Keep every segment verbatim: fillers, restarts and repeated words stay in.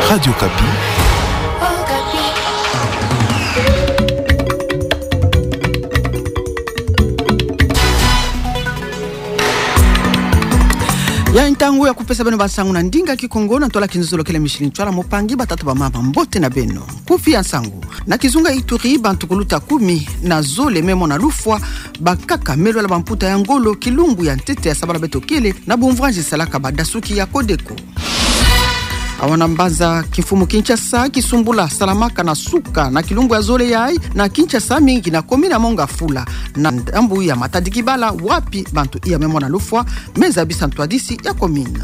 Radio Okapi. Ya ntangu ya kupesa beno bansangu na ndinga Kikongo na ntwala Kinzolo kele Micheline Ntsoila Mopangi. Batata bamama, mbote na beno. Kufi ya nsangu. Na kizunga Ituri, bantu kuluta kumi na zole me mona lufwa, bankaka me lwala bamputa ya ngolo, kilumbu ya ntete ya sabala beto kele, na bumvwanzi salaka badasuki ya Codeco. Awa na mbanza kimfumu Kinshasa, kisumbula salamaka na suka na kilumbu ya zole yayi na Kinshasa, mingi na commune ya Mont-Ngafula, na ndambu ya Matadi-Kibala, wapi bantu iya me mona lufwa me zabisa ntwadisi ya commune.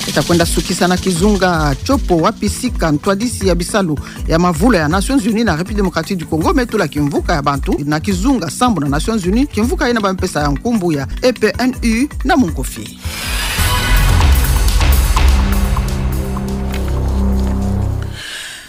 Eta kwenda sukisa na kizunga Tshopo, wapi sika ntwadisi ya bisalu ya mavula ya Nations Unies na République Démocratique du Congo me tula kimvuka ya bantu na kizunga sambu na Nations Unies, kimvuka yina ba me pesa ya nkumbu ya E P N U na munkufi.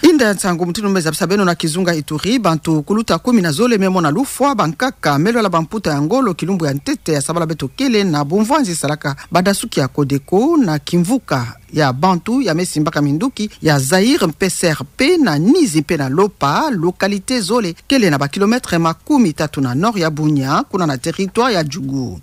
Inda ya nsangu mutindu me zabisa beno. Na kizunga Ituri, bantu kuluta kumi na zole me mona lufwa, bankaka me lwala bamputa ya ngolo, kilumbu ya ntete ya sabala beto kele, na bumvwanzi salaka badasuki ya Codeco na kimvuka ya bantu ya me simbaka minduki ya Zaïre mpe C R P na Nizi mpe na Lopa, localité zole kele na bakilomètre makumi tatu na nord ya Bunia, kuna na territoire ya Djugu.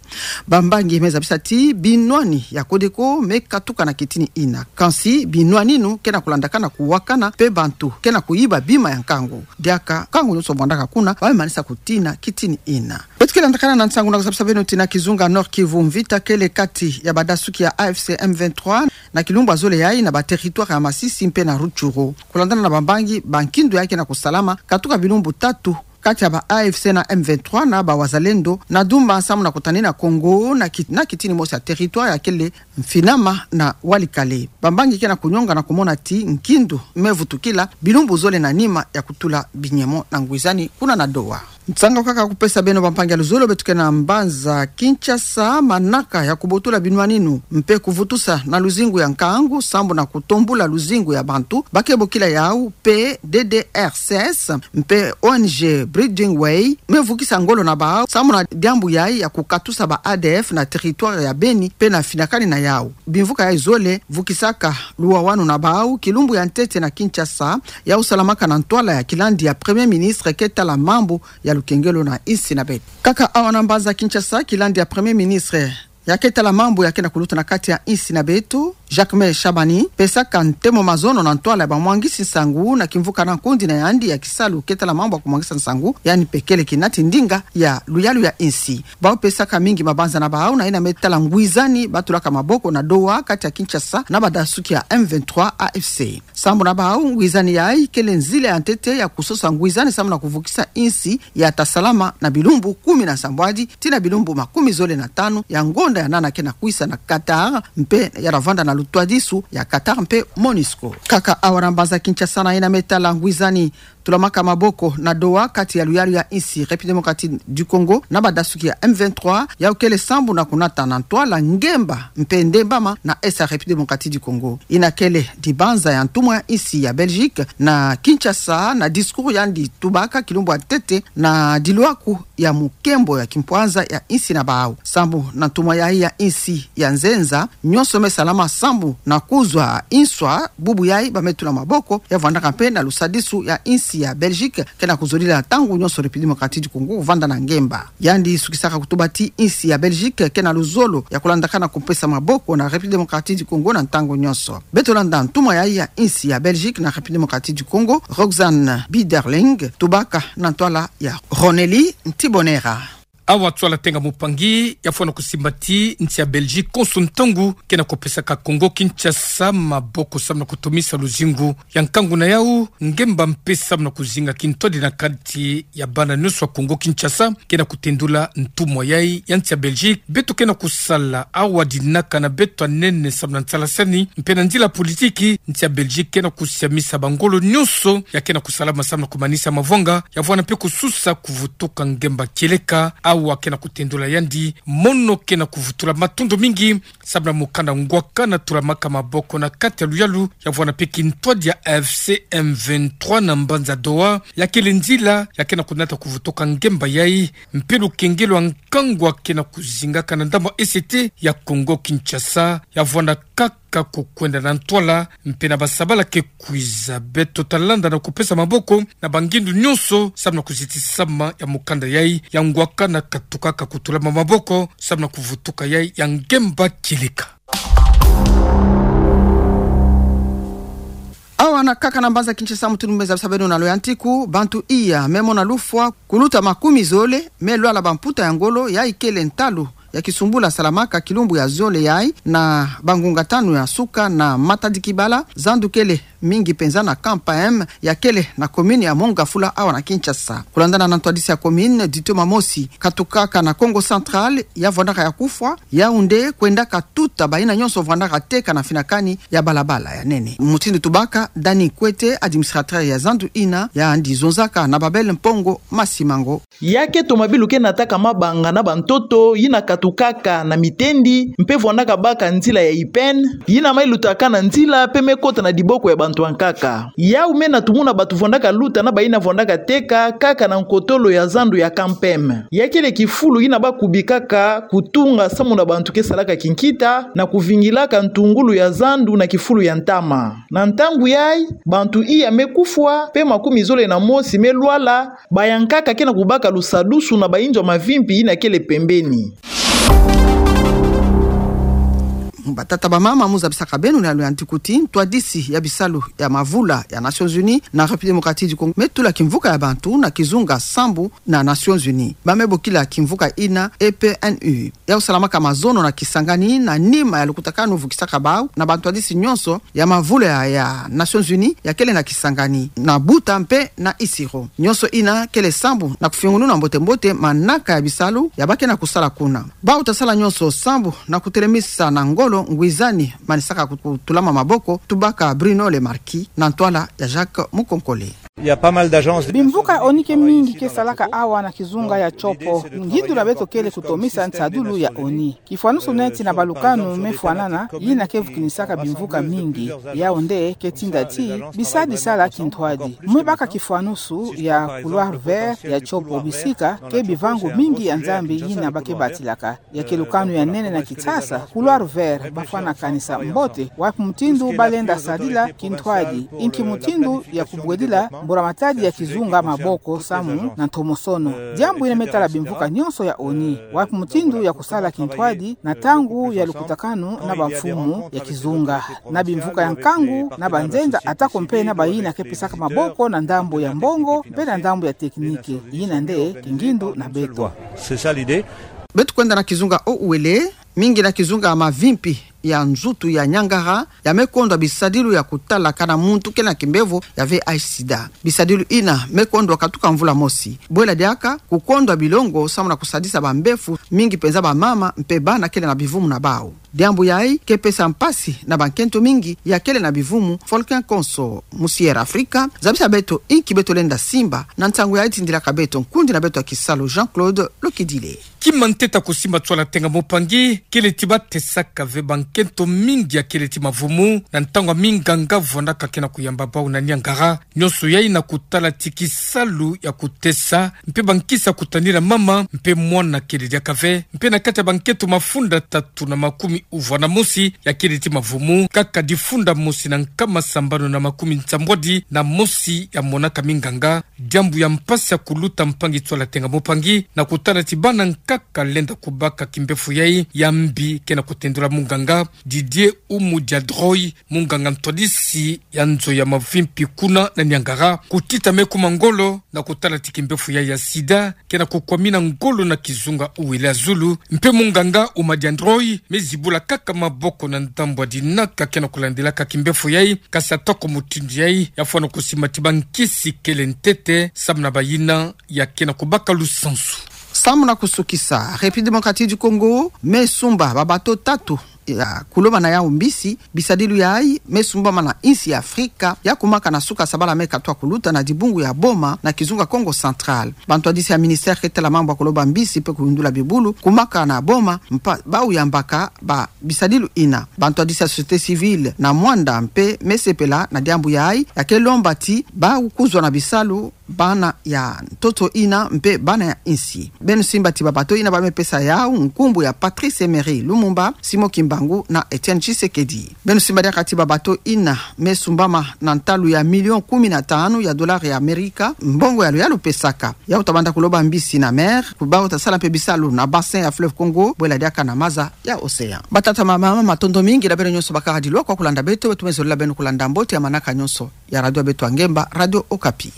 Bambangi me zabisa ti binwani ya Codeco me katuka na kitini yina. Kansi binwani yinu ke na kulandakana kuwakana mpe bantu ke na kuyiba bima ya nkangu. Diaka nkangu nyonso bwandaka kuna, ba me manisa kutina kitini yina. Beto ke landakana na nsangu na kuzabisa beno ti na kizunga Nord-Kivu, mvita kele kati ya badasuki ya A F C M vingt-trois na kilumbu ya zole yayi na ba territoire ya Masisi mpe na Rutshuru. Kulandana na bambangi, bankindu yayi ke na kusalama katuka bilumbu tatu kati ya ba A F C na M vingt-trois na ba Wazalendo, na Dumba, sambu na kutanina Congo na ki-, na kitini mosi ya territoire ya kele Mfinama na Walikale. Bambangi ke na kunyonga na kumona ti nkindu me vutukila bilumbu zole na nima ya kutula binyemo na ngwizani kuna na Doha. Nsangu kaka kupesa beno, bampangi ya luzolo. Beto ke na mbanza Kinshasa, manaka ya kubotula binwani yinu mpe kuvutusa na luzingu ya nkangu sambu na kutombula luzingu ya bantu ba ke bokila yawu, P D D R C S mpe O N G Bridging Way me vukisa ngolo na bawu sambu na diambu yayi ya kukatusa ba A D F na territoire ya Beni mpe na finakani na yawu. Bimvuka yayi zole vukisaka luwawanu na bawu kilumbu ya ntete na Kinshasa, yawu salamaka na ntwala ya kilandi ya Premier Ministre ke tala mambu ya lukengelo na insi na beto. Kaka awa na mbanza Kinshasa, kilandi ya Premier Ministre ya ke tala mambu ya ke na kuluta na kati ya insi na beto, Jacquemain Shabani, pesaka ntemo mazono na ntwala ya bamwangisi nsangu na kimvuka na nkundi na yandi ya kisalu ke tala mambu ya kumwangisa nsangu, yandi mpe kele kinati ndinga ya luyalu ya insi. Bawu pesaka mingi mabanza na bawu na yina me tala ngwizani ba tulaka maboko na Doha kati ya Kinshasa na badasuki ya M vingt-trois A F C. Sambu na bawu, ngwizani yayi kele nzila ya ntete ya kusosa ngwizani sambu na kuvukisa insi ya ta salama na bilumbu kumi na sambwadi tii na bilumbu makumi zole na tanu ya ngonda ya nana ke na kwisa na Qatar, mpe ya ta vanda na lutwadisu ya Qatar mpe MONUSCO. Kaka awa na mbanza Kinshasa, na yina me tala ngwizani tulamaka maboko na Doha kati ya luyalu ya insi République Démocratique du Congo na badasuki ya M vingt-trois, yawu kele sambu na kunata na ntwala ngemba mpe ndembama na Est ya République Démocratique du Congo. Yina kele dibanza ya ntumwa ya insi ya Belgique na Kinshasa, na discours yandi tubaka kilumbu ya ntete na dilwaku ya mukembo ya kimpwanza ya insi na bawu. Sambu na ntumwa yayi ya insi ya nzenza, nyonso me salama sambu na kuzwa inswa, bubu yayi ba me tula maboko, ya vwandaka mpe na lusadisu ya insi ya Belgique ke na kuzolila ntangu nyonso République Démocratique du Congo kuvanda na ngemba. Yandi sukisaka kutuba ti insi ya Belgique ke na luzolo ya kulandakana kupesa maboko na République Démocratique du Congo na ntangu nyonso. Beto landa ntumwa yayi ya insi ya Belgique na République Démocratique du Congo, Roxane Biderling, tubaka na ntwala ya Ronelly Ntibonera. Awa Tswala Tenga Mupangi yafwana kusimba ti nsi ya Belgique konso ntangu ke na kupesaka Congo Kinshasa maboko sambu na kutomisa luzingu ya nkangu na yawu, ngemba mpe sambu na kuzinga kintwadi na kati ya bana nyonso ya Congo Kinshasa, ke na kutendula ntumwa yayi ya nsi ya Belgique. Beto ke na kusala awa dinaka na beto ya nene sambu na nsalasani mpe na nzila politiki. Nsi ya Belgique ke na kusiamisa bangolo nyonso ya ke na kusalama sambu na kumanisa mavwanga, ya vwanda mpe kususa kuvutuka ngemba kieleka awa ke na kutendula yandi mono ke na kuvutula matondo mingi sambu na mukanda ngwakana tulamaka maboko na kati ya luyalu, ya vwanda mpe kintwadi ya A F C M vingt-trois na mbanza Doha, ya kele nzila ya ke na kunata kuvutuka ngemba yayi mpe lukengelo ya nkangu ya ke na kuzingaka na ndambu ya Est ya Congo Kinshasa, ya vwanda kaka kukwenda na ntwala, mpe na basabala ke kwiza. Beto talanda na kupesa maboko na bangindu nyonso samu na kuzitisama ya mukanda yai ya ngwaka na katukaka kutulama maboko samu na kuvutuka yai ya ngemba kieleka. Awa na nkaka na mbanza Kinshasa, mutindu me zabisa beno na loyantiku, bantu iya me mona lufwa kuluta makumi zole me lwala bamputa ya ngolo, yai kele ntalu ya kisumbula salamaka kilumbu ya zole yai na bangunga tanu ya suka na Matadi-Kibala, zandu kele mingi mpenza na Camp M ya kele na commune ya Mont-Ngafula awa na Kinshasa. Kulandana na ntwadisi ya commune, ditio mamosi katukaka na Kongo Central ya vwandaka ya kufwa, Yaoundé kwendaka tuta bayina nyonso vwandaka teka na finakani ya balabala ya nene. Mutindu tubaka Dany Kwete, administrateur ya zandu yina, yandi zonzaka na Babel Mpongo Masimango. Ya ke tomabilu ke nataka mabanga na bantoto yina katukaka na mitendi, mpe vwandaka baka nzila ya ipene, yina mai lutaka na nzila mpe me kota na diboko ya bantu ya nkaka. Yau me na tumuna bantu vwandaka luta na bayina vwandaka teka kaka na nkotolo ya zandu ya Camp M. Ya kele kifulu yina ba kubikaka kutunga samu na bantu ke salaka kinkita na kuvingilaka ntungulu ya zandu na kifulu ya ntama. Na ntangu yai, bantu iya me kufwa, mpe makumi zole na mosi me lwala, ba ya nkaka ke na kubaka lusadusu na bayinzo ya mavimpi yina kele pembeni. Batata, bamama, mu zabisaka beno na loyantiku ti ntwadisi ya bisalu ya mavula ya Nations Unies na République Démocratique du Congo me tula kimvuka ya bantu na kizunga sambu na Nations Unies. Ba me bokila kimvuka yina E P N U. Yau salamaka mazono na Kisangani na nima ya lukutakanu vukisaka bau na bantwadisi nyonso ya mavula ya, ya Nations Unies ya kele na Kisangani na Buta mpe na Isiro. Nyonso yina kele sambu na kufinguluna mbote-mbote manaka ya bisalu ya ba ke na kusala kuna. Bau ta sala nyonso sambu na kutelemisa na ngolo ngwizani manisaka ku-, kutulama maboko, tubaka Bruno Le Marquis na ntwala ya Jacques Mukonkole. Il y a pas mal d'agences. Bimvuka ya ONU ke mingi ke salaka awa na kizunga ya Tshopo. Ngindu na beto kele kutomisa nsadulu ya ONU. Kifwanusu neti na balukanu me fwanana, yina ke vukinisaka bimvuka mingi. Yau nde ke tinda ti bisadi sala kintwadi. Mu baka kifwanusu ya Couloir Vert ya Tshopo, bisika ke bivangu mingi ya Nzambi yina ba ke batilaka. Ya ke lukanu ya nene na Kinshasa, Couloir Vert, ba fwana kanisa mbote wapi mutindu ba lenda sadila kintwadi, inki mutindu ya kubwedila mbula matadi ya kizunga maboko samu na ntomosono. Diambu yina me tala bimvuka nyonso ya ONU, wapi mutindu ya kusala kintwadi na ntangu ya lukutakanu na bamfumu ya kizunga, na bimvuka ya nkangu, na banzenza, atako mpe na bayina ke pesaka maboko na ndambu ya mbongo mpe na ndambu ya tekinike. Yina nde kingindu na beto. C'est ça l'idée. Beto kwenda na kizunga ya Uele, mingi na kizunga ya mavimpi ya nzutu ya Niangara, ya me kondwa bisadilu ya kutalaka na muntu ke na kimbevo ya V I H sida. Bisadilu yina me kondwa katuka mvula mosi. Bwela diaka kukondwa bilongo samu na kusadisa bambefu, mingi mpenza bamama mpe bana kele na bivumu na bau. Diambu yai ke pesa mpasi na bankento mingi ya kele na bivumu. Volcan Konso, musi Air Africa, zabisa beto inki beto lenda simba na nsangu yai, tindilaka beto nkundi na beto ya kisalu Jean-Claude Lokidile. Kima ntete ya kusimba nswala tenga mopangi kele ti batesaka ve bankento mingi ya kele ti mavumu na ntangu ya minganga vwandaka ke na kuyamba bau na Niangara. Nyonso yai na kutala ti kisalu ya kutesa mpe bankisi ya kutanila mama mpe mwana kele diaka ve. Mpe na kati ya bankento mafunda tatu na makumi uvwa na mosi ya kele ti mavumu, kaka difunda mosi na nkama sambanu na makumi nsambwadi na mosi ya monaka minganga. Diambu ya mpasi ya kuluta mpangi nswala tenga mopangi na kutala ti bana nkaka lenda kubaka kimbefu yai ya mbi ke na kutendula munganga Didier Oumou Diadroy, munganga ntwadisi ya nzo ya mavimpi kuna na Niangara, kutita me kuma ngolo na kutala ti kimbefu yai ya sida ke na kukwamina ngolo na kizunga Uele ya zulu. Mpe munganga Oumou Diadroy me zibula kaka maboko na ndambu ya dinaka ke na kulandilaka kimbefu yai, kasi atako mutindu yai, ya fwana kusimba ti bankisi kele ntete samu na bayina ya ke na kubaka lusansu. Samu na kusukisa, République Démocratique du Congo me sumba babato tatu ya kulomana yau mbisi. Bisadilu yai me sumbamana insi ya Afrika ya kumaka na suka sabala me katwa kuluta na dibungu ya Boma na kizunga Kongo Central. Bantwadisi ya ministère ke tala mambu ya kulomba mbisi mpe kuyundula bibulu kumaka na Boma mpa bau yambaka ba bisadilu yina. Bantwadisi ya société civile na Muanda mpe me sepela na diambu yai, ya ke lomba ti bau kuzwa na bisalu bana ya ntoto ina mpe bana ya insi. Beno simba ti babato ina bamepesa yau nkumbu ya Patrice Emery Lumumba, Simon Kimbangu na Etienne Tshisekedi. Beno simba diaka ti babato ina mesumbama na ntalu ya million kumi na tanu ya dollar ya Amerika, mbongo ya luyalu pesaka. Yau tabanda kuloba mbisi na mer, kubau tasala mpe bisalu na bassin ya fleuve Congo, bwela diaka na maza ya océan. Batata, bamama, matondo mingi na beno nyonso bakala dilwa kwa kulanda beto, beto tumezolula beno kulanda mbote ya manaka nyonso ya radio ya beto ya ngemba, Radio Okapi.